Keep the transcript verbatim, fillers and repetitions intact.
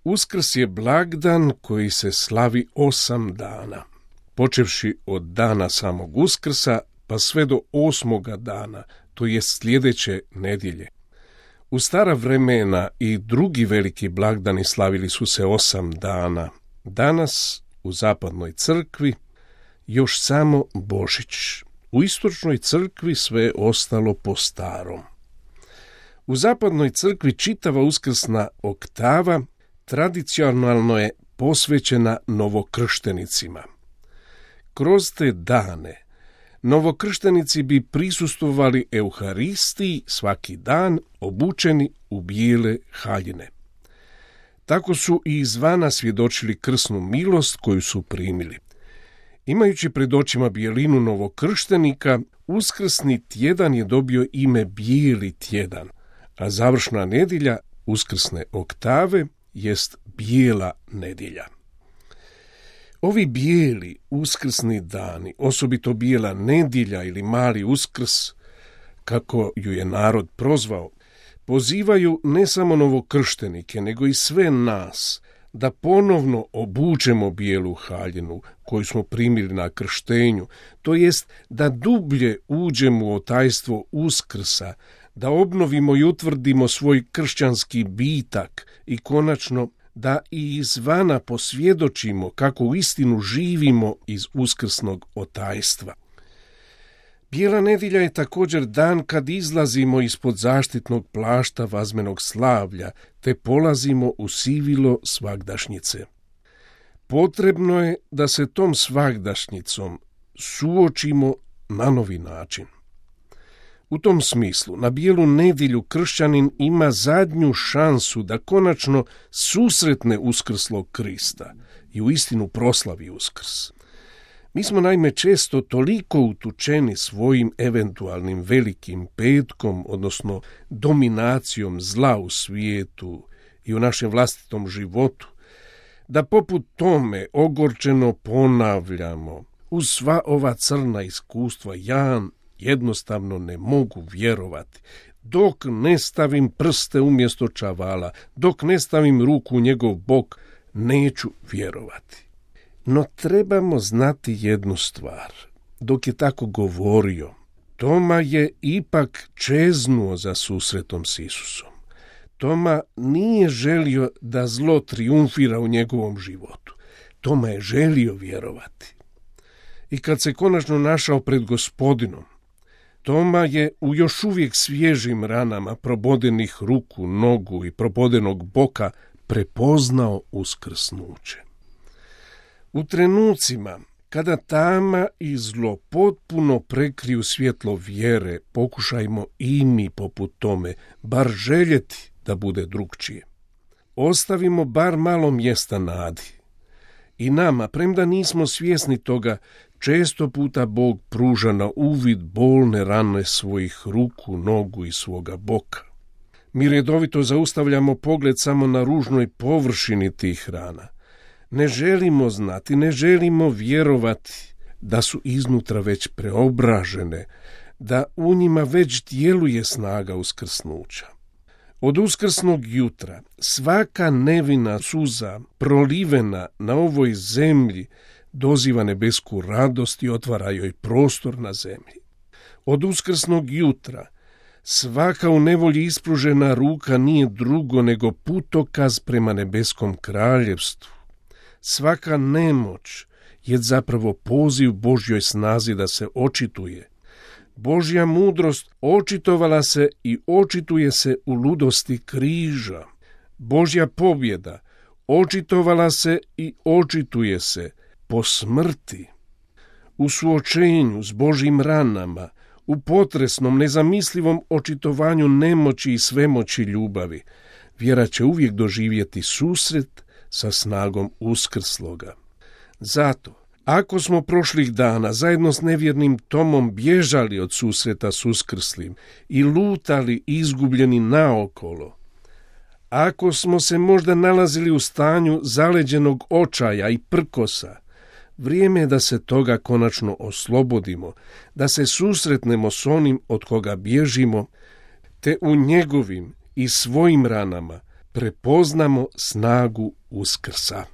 Uskrs je blagdan koji se slavi osam dana, počevši od dana samog Uskrsa pa sve do osmoga dana, to je sljedeće nedjelje. U stara vremena i drugi veliki blagdani slavili su se osam dana. Danas u zapadnoj crkvi još samo Božić. U istočnoj crkvi sve je ostalo po starom. U zapadnoj crkvi čitava uskrsna oktava tradicionalno je posvećena novokrštenicima. Kroz te dane novokrštenici bi prisustvovali Euharistiji svaki dan obučeni u bijele haljine. Tako su i izvana svjedočili krsnu milost koju su primili. Imajući pred očima bijelinu novokrštenika, uskrsni tjedan je dobio ime Bijeli tjedan, a završna nedjelja uskrsne oktave jest Bijela nedjelja. Ovi bijeli uskrsni dani, osobito Bijela nedjelja ili Mali Uskrs, kako ju je narod prozvao, pozivaju ne samo novokrštenike, nego i sve nas da ponovno obučemo bijelu haljinu koju smo primili na krštenju, to jest da dublje uđemo u tajstvo Uskrsa, da obnovimo i utvrdimo svoj kršćanski bitak i konačno da i izvana posvjedočimo kako u istinu živimo iz uskrsnog otajstva. Bijela nedjelja je također dan kad izlazimo ispod zaštitnog plašta vazmenog slavlja, te polazimo u sivilo svagdašnjice. Potrebno je da se tom svagdašnjicom suočimo na novi način. U tom smislu, na Bijelu nedjelju kršćanin ima zadnju šansu da konačno susretne uskrslog Krista i uistinu proslavi Uskrs. Mi smo naime često toliko utučeni svojim eventualnim velikim petkom, odnosno dominacijom zla u svijetu i u našem vlastitom životu, da poput tome ogorčeno ponavljamo uz sva ova crna iskustva ja jednostavno ne mogu vjerovati. Dok ne stavim prste umjesto čavala, dok ne stavim ruku u njegov bok, neću vjerovati. No trebamo znati jednu stvar. Dok je tako govorio, Toma je ipak čeznuo za susretom s Isusom. Toma nije želio da zlo triumfira u njegovom životu. Toma je želio vjerovati. I kad se konačno našao pred Gospodinom, Toma je u još uvijek svježim ranama probodenih ruku, nogu i probodenog boka prepoznao uskrsnuće. U trenucima kada tama i zlo potpuno prekriju svjetlo vjere, pokušajmo i mi poput tome bar željeti da bude drukčije. Ostavimo bar malo mjesta nadi. I nama, premda nismo svjesni toga, često puta Bog pruža na uvid bolne rane svojih ruku, nogu i svoga boka. Mi redovito zaustavljamo pogled samo na ružnoj površini tih rana. Ne želimo znati, ne želimo vjerovati da su iznutra već preobražene, da u njima već djeluje snaga uskrsnuća. Od uskrsnog jutra svaka nevina suza prolivena na ovoj zemlji doziva nebesku radost i otvara joj prostor na zemlji. Od uskrsnog jutra svaka u nevolji ispružena ruka nije drugo nego putokaz prema nebeskom kraljevstvu. Svaka nemoć je zapravo poziv Božjoj snazi da se očituje. Božja mudrost očitovala se i očituje se u ludosti križa. Božja pobjeda očitovala se i očituje se po smrti. U suočenju s Božjim ranama, u potresnom, nezamislivom očitovanju nemoći i svemoći ljubavi, vjera će uvijek doživjeti susret sa snagom uskrsloga. Zato, ako smo prošlih dana zajedno s nevjernim Tomom bježali od susreta s uskrslim i lutali izgubljeni naokolo, ako smo se možda nalazili u stanju zaleđenog očaja i prkosa, vrijeme je da se toga konačno oslobodimo, da se susretnemo s onim od koga bježimo, te u njegovim i svojim ranama prepoznamo snagu Uskrsa.